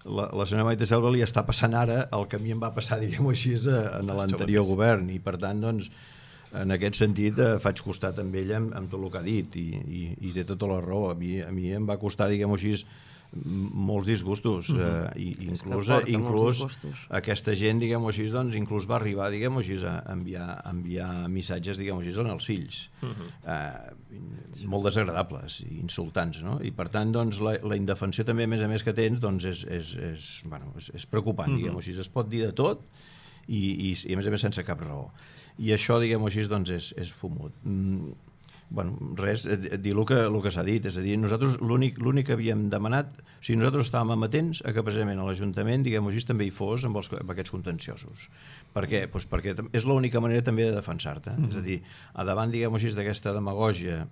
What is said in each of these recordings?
la senyora Maite Selva li està passant ara el que a mi em va passar, diguem-ho així, en l'anterior govern, i per tant, doncs, en aquest sentit faig costat amb ella amb tot el que ha dit, i té tota la raó. A mi em va costar, diguem-ho així, molts disgustos, i inclús aquesta gent, diguem-ho així, doncs inclús va arribar, diguem-ho així, a enviar missatges, diguem-ho així, als fills, molt desagradables i insultants, no? I per tant, doncs, la indefensió també, a més que tens, doncs és preocupant, diguem-ho així, es pot dir de tot i a més sense cap raó, i això, diguem-ho així, doncs és fumut. Bueno, res, dir el que s'ha dit, és a dir, nosaltres l'únic que havíem demanat, o sigui, nosaltres estàvem amatents a que precisament a l'Ajuntament, diguem-ho així, també hi fos amb aquests contenciosos. Per què? Doncs perquè és l'única manera també de defensar-te, és a dir, a davant, diguem-ho així, d'aquesta demagògia,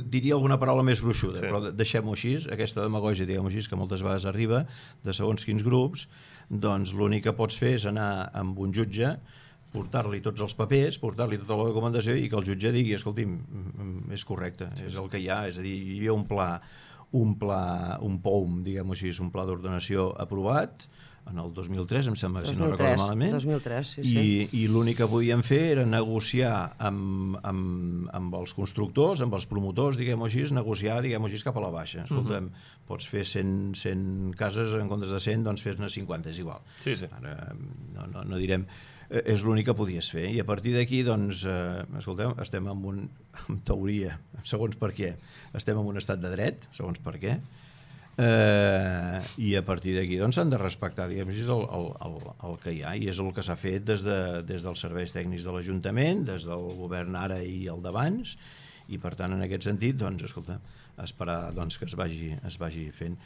diria alguna paraula més gruixuda, però deixem-ho així, aquesta demagògia, diguem-ho així, que moltes vegades arriba de segons quins grups, doncs l'únic que pots fer és anar amb un jutge, portar-li tots els papers, portar-li tota la documentació i que el jutge digui, escolti'm, és correcte, és el que hi ha, és a dir, hi havia un POUM, diguem-ho així, un pla d'ordenació aprovat en el 2003, em sembla, si no recordo malament, 2003, i l'únic que podíem fer era negociar amb els constructors, amb els promotors, diguem-ho així, negociar, diguem-ho així, cap a la baixa. Escolta'm, pots fer 100 cases en comptes de 100, doncs fes-ne 50, és igual. Ara no direm... És l'únic que podies fer, i a partir d'aquí, doncs, escolteu, estem en teoria, segons per què, estem en un estat de dret, segons per què, i a partir d'aquí doncs s'han de respectar, diguem així, el que hi ha, i és el que s'ha fet des dels serveis tècnics de l'Ajuntament, des del govern ara i el d'abans, i per tant, en aquest sentit, doncs, escolta, esperar doncs, que es vagi fent.